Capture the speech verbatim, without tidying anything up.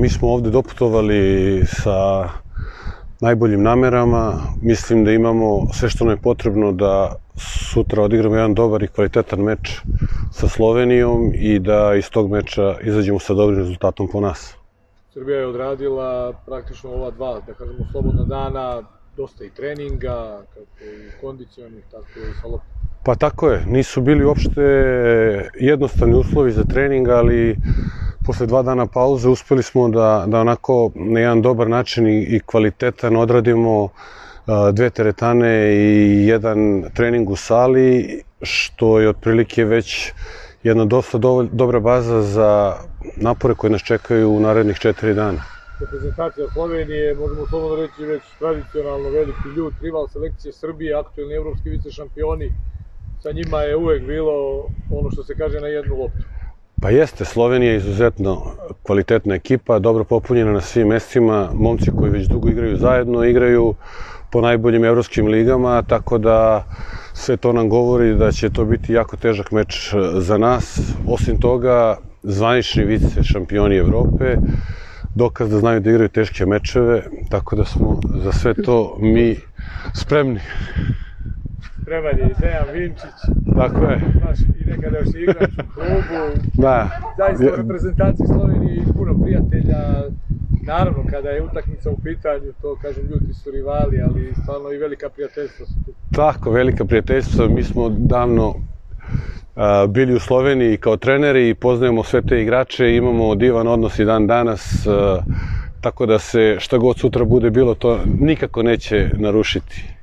Mi smo ovde doputovali sa najboljim namerama. Mislim da imamo sve što nam je potrebno da sutra odigramo jedan dobar i kvalitetan meč sa Slovenijom i da iz tog meča izađemo sa dobrim rezultatom po nas. Srbija je odradila praktično ova dva, da kažemo, slobodna dana, dosta i treninga, kako i kondicionih, tako i sa loptom. Pa tako je, nisu bili uopšte jednostavni uslovi za trening, ali posle dva dana pauze uspeli smo da, da onako na jedan dobar način i, i kvalitetan odradimo dve teretane i jedan trening u sali, što je otprilike već jedna dosta do, dobra baza za napore koje nas čekaju u narednih četiri dana. Reprezentacija Slovenije, možemo slobodno reći, već tradicionalno veliki ljud, rival selekcije Srbije, aktuelni evropski vice šampioni, sa njima je uvek bilo ono što se kaže na jednu loptu. Pa jeste, Slovenija je izuzetno kvalitetna ekipa, dobro popunjena na svim mestima, momci koji već dugo igraju zajedno, igraju po najboljim evropskim ligama, tako da sve to nam govori da će to biti jako težak meč za nas. Osim toga, zvanični vice šampioni Evrope, dokaz da znaju da igraju teške mečeve, tako da smo za sve to mi spremni. Spreman je i Dejan Vinčić. Tako je. Znaš, i nekada još igrač u klubu. Da. Zaista u reprezentaciji Slovenije i puno prijatelja. Naravno, kada je utakmica u pitanju, to, kažem, ljudi su rivali, ali stvarno i velika prijateljstva su tu. Tako, velika prijateljstva. Mi smo davno a, bili u Sloveniji kao treneri i poznajemo sve te igrače, imamo divan odnos i dan danas, a, tako da se šta god sutra bude bilo, to nikako neće narušiti.